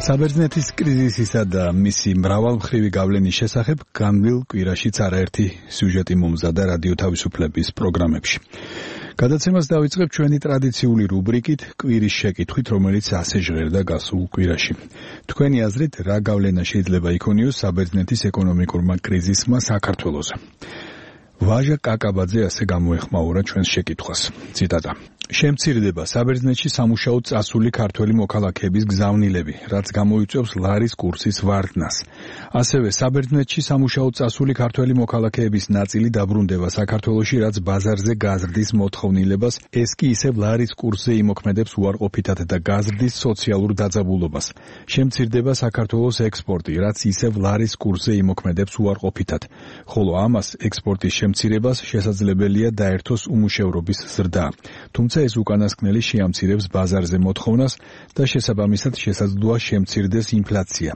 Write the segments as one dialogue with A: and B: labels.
A: საბერძნეთის კრიზისისა და მისი მრავალმხრივი გავლენის შესახებ განვლილ კვირაშიც არაერთი სიუჟეტი მომზადა რადიო თავისუფლების პროგრამებში. გადაცემას დავიწყებ ჩვენი ტრადიციული რუბრიკით კვირის შეკითხვით, რომელიც ასე ჟღერდა გასულ კვირაში. თქვენი აზრით, რა გავლენა შეიძლება იქონიოს საბერძნეთის ეკონომიკურმა კრიზისმა საქართველოზე? ვაჟა კაკაბაძე ასე გამოეხმაურა ჩვენს შეკითხვას. ციტატა: შემცირდება საბერძნეთში სამუშაოდ წასული ქართველი მოქალაქეების გზავნილები, რაც გამოიწვევს ლარის კურსის ვარდნას. ასევე საბერძნეთში სამუშაოდ წასული ქართველი მოქალაქეების ნაწილი დაბრუნდება საქართველოში, რაც ბაზარზე გაზრდის მოთხოვნილებას, ეს კი ისევ ლარის კურსზე იმოქმედებს უარყოფითად და გაზრდის სოციალურ დაძაბულობას. შემცირდება საქართველოს ექსპორტი, რაც ისევ ლარის კურსზე იმოქმედებს უარყოფითად, ხოლო ამას ექსპორტის შემცირებას შესაძლებელია დაერთოს უმუშევრობის ზრდა. თუმცა ეს უკანასკნელი შეამცირებს ბაზარზე მოთხოვნას და შესაბამისად შესაძლოა შემცირდეს ინფლაცია.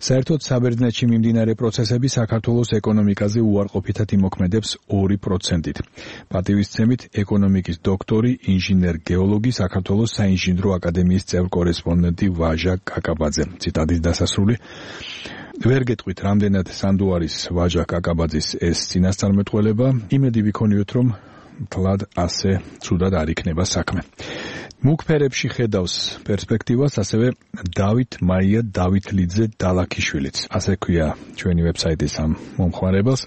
A: საერთოდ საბერძნეთში მიმდინარე პროცესები საქართველოს ეკონომიკაზე უარყოფითად იმოქმედებს 2%-ით. პატივისცემით ეკონომიკის დოქტორი, ინჟინერ-გეოლოგი, საქართველოს საინჟინრო აკადემიის წევრ-კორესპონდენტი ვაჟა კაკაბაძე. ციტატის დასასრული. ვერ გეტყვით, რამდენად სანდო არის ვაჟა კაკაბაძის ეს წინასწარმეტყველება, იმედი ვიქონიოთ, რომ თლად ასე ცუდად არ იქნება საქმე. მუქ ფერებში ხედავს პერსპექტივას ასევე დავით მაია დავითლიძე დალაქიშვილიც. ასე ქვია ჩვენი ვებსაიტის ამ მომხმარებელს.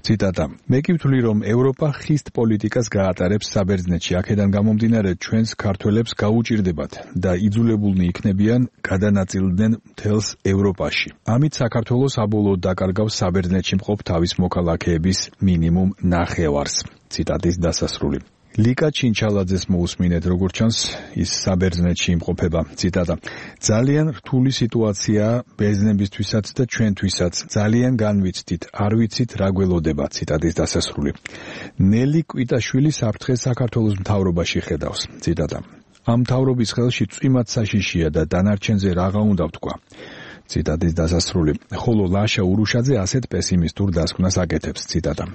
A: ციტატა: მე კი ვთვლი, რომ ევროპა ხისტ პოლიტიკას გაატარებს საბერძნეთში, აქედან გამომდინარე ჩვენს ქართველებს გაუჭირდებათ და იძულებულნი იქნებიან გადანაწილდნენ მთელს ევროპაში. ამით საქართველოს აბოლოდ დაკარგავს საბერძნეთში მყოფ თავის მოქალაქეების მინიმუმ ნახევარს. ციტატის დასასრული. ლიკა ჩინჩალაძეს მოусმინეთ, როგორც ჩანს, ის საბერძნეთში იმყოფება. ციტატა: ძალიან რთული სიტუაციაა ბერძნებისთვისაც და ჩვენთვისაც. ძალიან განვიცდით, არ ვიცით რა გველოდება. ციტატის დასასრული. ნელი კვიტაშვილი საფრთხეს საქართველოს მთავრობაში ხედავს. ციტატა: ამ მთავრობის ხელში წვიმად საშიშია და დანარჩენზე რაღა უნდა ვთქვა. ციტატის დასასრული. ხოლო ლაშა ურუშაძე ასეთ პესიმისტურ დასკვნას აკეთებს. ციტატა: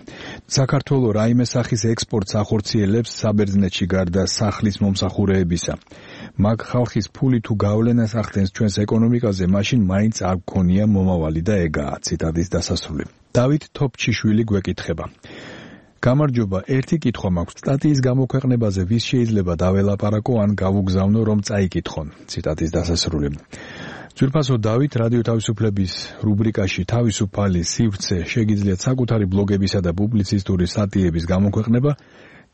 A: საქართველოს რაიმე სახის ექსპორტს ახორციელებს საბერძნეთში გარდა სახლის მომსახურეებისა. მაგ ხალხის ფული თუ გავლენას ახდენს ჩვენს ეკონომიკაზე, მაშინ მაინც არ გქონია მომავალი და ეგაა. ციტატის დასასრული. დავით თოფჩიშვილი გვეკითხება: გამარჯობა, ერთი კითხვა მაქვს. სტატიის გამოქვეყნებაზე ვის შეიძლება დაველაპარაკო ან გავუგზავნო, რომ წაიკითხონ. ციტატის დასასრული. ძვირფასო დავით, რადიო თავისუფლების რუბრიკაში თავისუფალი სივრცე შეგიძლიათ საკუთარი ბლოგებისა და პუბლიცისტური სტატიების გამოქვეყნება.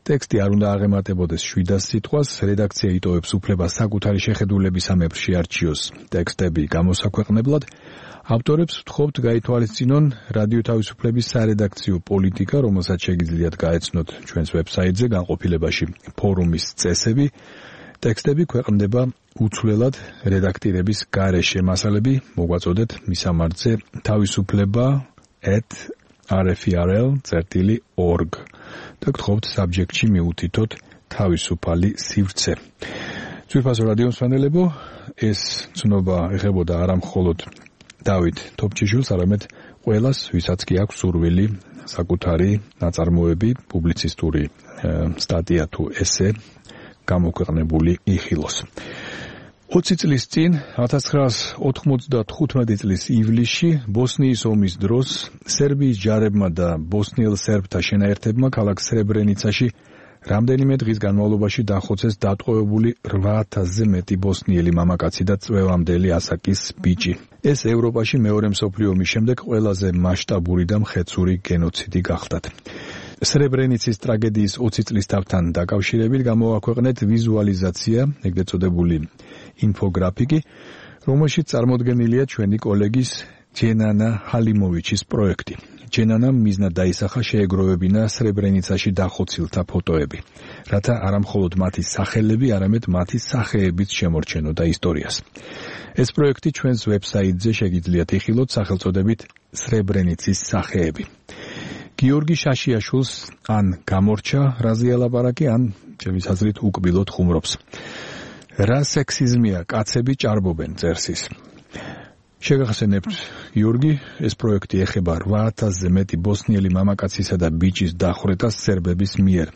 A: ტექსტი არ უნდა აღემატებოდეს 700 სიტყვას, რედაქცია იტოვებს უფლებას საკუთარი შეხედულების ამებრ შეარჩიოს ტექსტები გამოსაქვეყნებლად. ავტორებს ვთხოვთ გაითვალისწინონ რადიო თავისუფლების სარედაქციო პოლიტიკა, რომელსაც შეგიძლიათ გაეცნოთ ჩვენს ვებსაიტზე განყოფილებაში ფორუმის წესები. ტექსტები ქვეყნდება უცვლელად რედაქტირების გარეშე. მასალები მოგვაწოდეთ მისამართზე თავისუფლება@rfrl.org და გთხოვთ საბჯექტში მიუთითოთ თავისუფალი სივრცე. ძვირფასო რადიო მსმენელებო, ეს ცნობა ეხებოდა არა მხოლოდ დავით თოფჩიშვილს, არამედ ყველას, ვისაც კი აქვს სურვილი საკუთარი ნაწარმოები, პუბლიცისტური სტატია თუ ესე გამოქვეყნებული იხილოს. 20 წლის წინ, 1995 წლის ივლისში, ბოსნიის ომის დროს, სერბიის ჯარებმა და ბოსნიელ სერბთა შენაერთებმა ქალაქ სრებრენიცაში რამდენიმე დღის განმავლობაში დახოცეს დატყვევებული 8000-ზე მეტი ბოსნიელი მამაკაცი და წვევამდელი ასაკის ბიჭი. ეს ევროპაში მეორე მსოფლიო ომის შემდეგ ყველაზე მასშტაბური და მხეცური გენოციდი გახდათ. სრებრენიცის ტრაგედიის 20 წლის თავთან დაკავშირებით გამოვაქვეყნეთ ვიზუალიზაცია, ეგრეთ წოდებული ინფოგრაფიკი, რომელშიც წარმოდგენილია ჩვენი კოლეგის ჯენანა ჰალიმოვიჩის პროექტი. ჯენანამ მიზნად დაისახა შეეგროვებინა სრებრენიცაში დახოცილთა ფოტოები, რათა არა მხოლოდ მათი სახელები, არამედ მათი სახეებიც შემორჩენოდა ისტორიას. ეს პროექტი ჩვენს ვებსაიტზე შეგიძლიათ იხილოთ სახელწოდებით სრებრენიცის სახეები. გიორგი შაშიაშვილს ან გამორჩა რაზე ელაპარაკი, ან ჩემის აზრით უკბილოდ ხუმრობს. რა სექსიზმია, კაცები ჭარბობენ, წერს ის. შეგახსენებთ, გიორგი, ეს პროექტი ეხება 8000-ზე მეტი ბოსნიელი მამაკაცისა და ბიჭის დახვრეტას სერბების მიერ.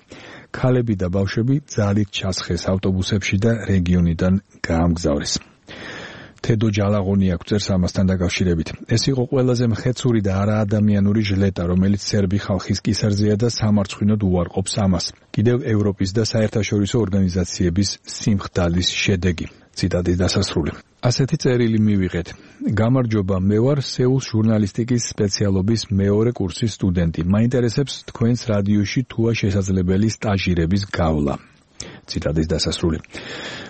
A: ქალები და ბავშვები ძალით ჩასხეს ავტობუსებში და რეგიონიდან გაამგზავრეს. თედო ჯალაღონი აქვს წერს ამასთან დაკავშირებით. ეს იყო ყველაზე მხეცური და არაადამიანური ჟლეტა, რომელიც სერბი ხალხის კისერზეა და სამარცხვინოდ უარყოფს ამას. კიდევ ევროპის და საერთაშორისო ორგანიზაციების სიმხდალის შედეგი. ციტატის დასასრული. ასეთი წერილი მივიღეთ. გამარჯობა, მე ვარ სეულს ჟურნალისტიკის სპეციალობის მეორე კურსის სტუდენტი. მაინტერესებს თქვენს რადიოში თუა შესაძლებელი სტაჟირების გავლა. ციტატის დასასრული.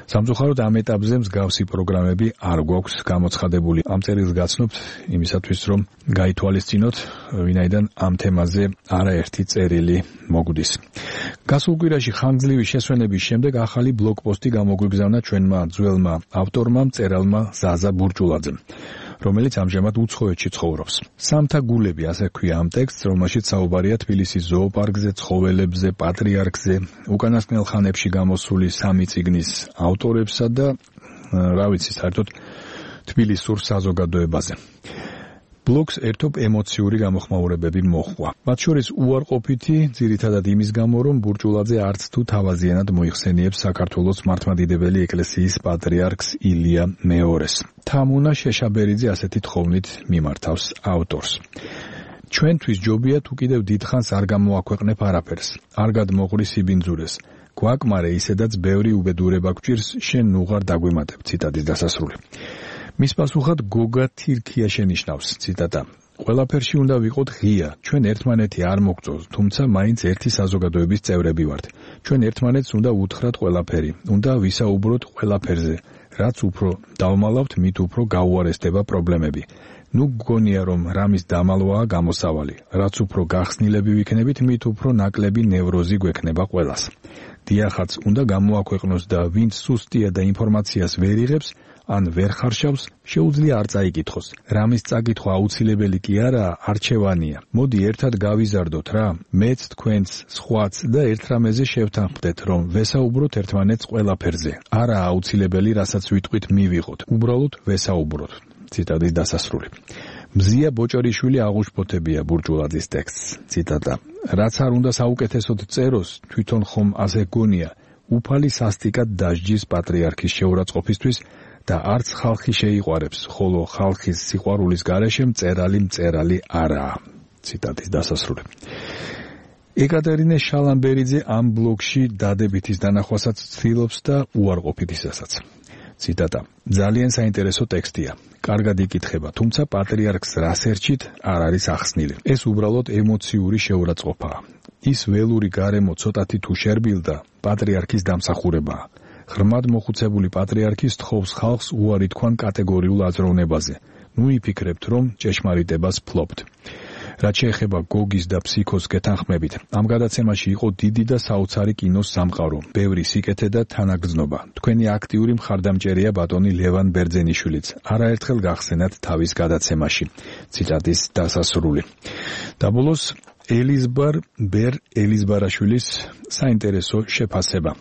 A: სამწუხაროდ ამ ეტაპზე მსგავსი პროგრამები არ გვაქვს გამოცხადებული. ამ წერილს გაცნობთ იმისათვის, რომ გაითვალისწინოთ, ვინაიდან ამ თემაზე არაერთი წერილი მოგვდის. გასულ კვირაში ხანგრძლივი შესვენების შემდეგ ახალი ბლოგპოსტი გამოგვიგზავნა ჩვენმა ძველმა ავტორმა, მწერალმა ზაზა ბურჭულაძემ, რომელიც ამჟამად უცხოეთში ცხოვრობს. სამთა გულები, ასე ქვია ამ ტექსტს, რომელშიც საუბარია თბილისის ზოოპარკზე, ცხოველებზე, პატრიარქზე, უკანასკნელ ხანებში გამოსული 3 წიგნის ავტორებსა და რა ვიცი, საერთოდ თბილისურ საზოგადოებაზე. ბლოგს ერთობ ემოციური გამოხმაურებები მოჰყვა. მათ შორის უარყოფითი, ძირითადად იმის გამო, რომ ბურჭულაძე არც თუ თავაზიანად მოიხსენიებს საქართველოს მართლმადიდებელი ეკლესიის პატრიარქს ილია მეორეს. თამუნა შეშაბერიძე ასეთი თხოვნით მიმართავს ავტორს. ჩვენთვის ჯობია თუ კიდევ დიდხანს არ გამოაქვეყნებ არაფერს, არ გადმოღრი სიბინძურეს. გვაკმარე ისედაც ბევრი უბედურება გვჭირს, შენ ნუღარ დაგვემატებ. ციტატის დასასრული. მის პასუხად გოგა თირქია შენიშნავს, ციტატა. ყველაფერში უნდა ვიყოთ ღია, ჩვენ ერთმანეთი არ მოგწონს, თუმცა მაინც ერთი საზოგადოების წევრები ვართ. ჩვენ ერთმანეთს უნდა უთხრათ ყველაფერი, უნდა ვისაუბროთ ყველაფერზე, რაც უფრო დავმალავთ, მით უფრო გაუარესდება პრობლემები. ნუ გგონია, რომ რამის დამალვაა გამოსავალი, რაც უფრო გახსნილები ვიქნებით, მით უფრო ნაკლები ნევროზი გვექნება ყველას. დიახაც, უნდა გამოაქვეყნოს და ვინც სუსტია და ინფორმაციას ვერ იღებს, ან ვერ ხარშავს, შეუძლია არ წაიკითხოს. რამის წაკითხვა აუცილებელი კი არაა, არჩევანია. მოდი ერთად გავიზარდოთ რა, მეც, თქვენც, სხვაც და ერთ რამეზე შევთანხმდეთ, რომ ვესაუბროთ ერთმანეთს ყველაფერზე. არა აუცილებელი, რასაც ვიტყვით მივიღოთ. უბრალოდ ვესაუბროთ. ციტატის დასასრული. მზია ბოჭორიშვილი აღუშფოთებია ბურჭულაძის ტექსტს. ციტატა. რაც არ უნდა საუკეთესოდ წეროს, თვითონ ხომ ასე გონია, უფალი სასტიკად დასჯის პატრიარქის შეურაცხყოფისთვის და არც ხალხი შეიყვარებს, ხოლო ხალხის სიყვარულის გარეშე მწერალი არაა. ციტატის დასასრული. ეკატერინე შალამბერიძე ამ ბლოგში დადებითის დანახვასაც ცდილობს და უარყოფითისასაც. ციტატა. ძალიან საინტერესო ტექსტია. კარგად იკითხება, თუმცა პატრიარქს რას ერჩით არ არის ახსნილი. ეს უბრალოდ ემოციური შეურაცხყოფაა. ის ველური გარემო ცოტათი თუ შერბილდა, პატრიარქის დამსახურებაა. ღრმად მოხუცებული პატრიარქი სთხოვს ხალხს უარი თქვან კატეგორიულ აზროვნებაზე. ნუ იფიქრებთ, რომ ჭეშმარიტებას ფლობთ. რაც შეეხება გოგის და ფსიქოს გეთანხმებით, ამ გადაცემაში იყო დიდი და საოცარი კინოს სამყარო, ბევრი სიკეთე და თანაგრძნობა. თქვენი აქტიური მხარდამჭერია ბატონი ლევან ბერძენიშვილიც. არაერთხელ გახსენათ თავის გადაცემაში. ციტატის დასასრული. და ბოლოს ელიზბარაშვილის საინტერესო შეფასება.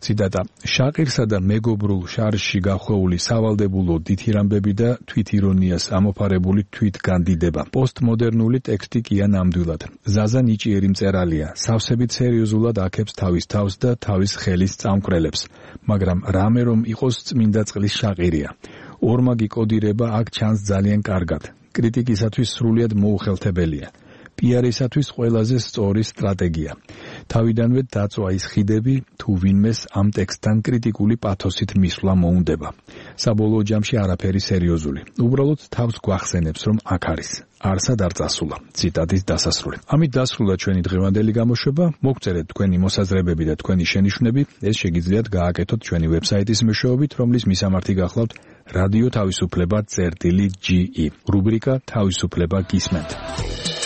A: ციტატა. შაყირსა და მეგობრულ შარში გახვეული სავალდებულო დითირამბები და თვითირონიას ამოფარებული თვითგანდიდება. პოსტმოდერნული ტექსტი კია ნამდვილად. ზაზა ნიჭიერი მწერალია, სავსებით სერიოზულად აქებს თავის თავს და თავის ხელის წამკვრელებს, მაგრამ რამე რომ იყოს წმინდა წყლის შაყირია. ორმაგი კოდირება აქ ჩანს ძალიან კარგად. კრიტიკისათვის სრულიად მოუხელთებელია. პიარისათვის ყველაზე სწორი სტრატეგია. თავიდანვე დაწვა ის ხიდები, თუ ვინმეს ამ ტექსტთან კრიტიკული პათოსით მისვლა მოუნდება. საბოლოო ჯამში არაფერი სერიოზული. უბრალოდ თავს გვახსენებს, რომ აქ არის. არსად არ წასულა. ციტატის დასასრული. ამით დასრულდა ჩვენი დღევანდელი გამოშვება. მოგწერეთ თქვენი მოსაზრებები და თქვენი შენიშვნები. ეს შეგიძლიათ გააკეთოთ ჩვენი ვებსაიტის მეშვეობით, რომლის მისამართი გახლავთ რადიო თავისუფლება.ge. რუბრიკა თავისუფლება გისმენთ.